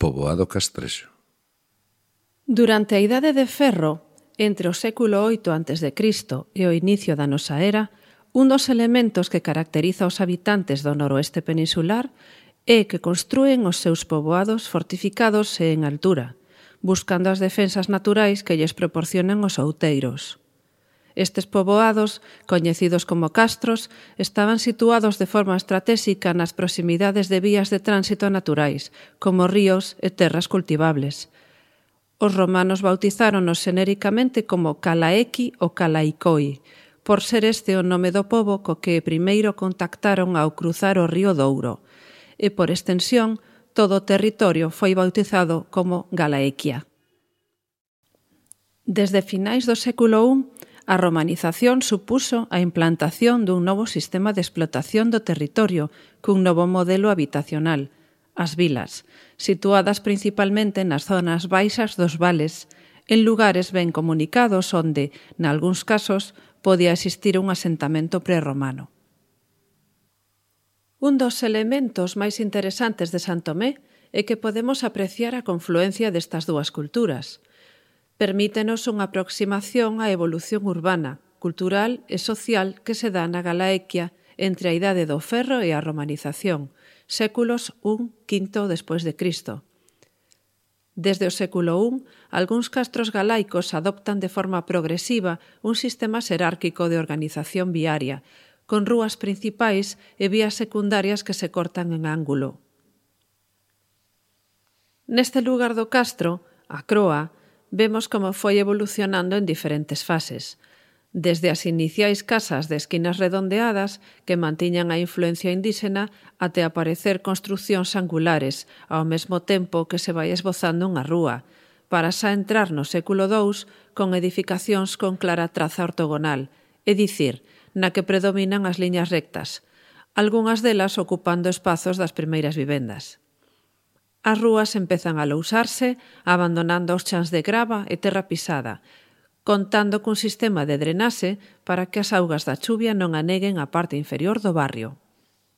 poboado castrexo. Durante a Idade de Ferro, entre o século VIII a.C. e o inicio da nosa era, un dos elementos que caracteriza os habitantes do noroeste peninsular é que construen os seus poboados fortificados e en altura, buscando as defensas naturais que lles proporcionan os outeiros. Estes poboados, coñecidos como castros, estaban situados de forma estratégica nas proximidades de vías de tránsito naturais, como ríos e terras cultivables. Os romanos bautizáronos xenéricamente como Calaequi ou Calaicoi, por ser este o nome do pobo co que primeiro contactaron ao cruzar o río Douro, e por extensión, todo o territorio foi bautizado como Galaequia. Desde finais do século I, a romanización supuso a implantación dun novo sistema de explotación do territorio cun novo modelo habitacional, as vilas, situadas principalmente nas zonas baixas dos vales, en lugares ben comunicados onde, nalgúns casos, podía existir un asentamento prerromano. Un dos elementos máis interesantes de San Tomé é que podemos apreciar a confluencia destas dúas culturas. Permítenos unha aproximación á evolución urbana, cultural e social que se dá na Galaequia entre a Idade do Ferro e a romanización, séculos I-V despois de Cristo. Desde o século I, algúns castros galaicos adoptan de forma progresiva un sistema xerárquico de organización viaria, con rúas principais e vías secundarias que se cortan en ángulo. Neste lugar do castro, a Croa, vemos como foi evolucionando en diferentes fases, desde as iniciais casas de esquinas redondeadas que mantiñan a influencia indíxena até aparecer construcións angulares, ao mesmo tempo que se vai esbozando unha rúa, para xa entrar no século II con edificacións con clara traza ortogonal, é dicir, na que predominan as liñas rectas, algunhas delas ocupando espazos das primeiras vivendas. As rúas empezan a lousarse, abandonando os chans de grava e terra pisada, contando cun sistema de drenaxe para que as augas da chuvia non aneguen a parte inferior do barrio.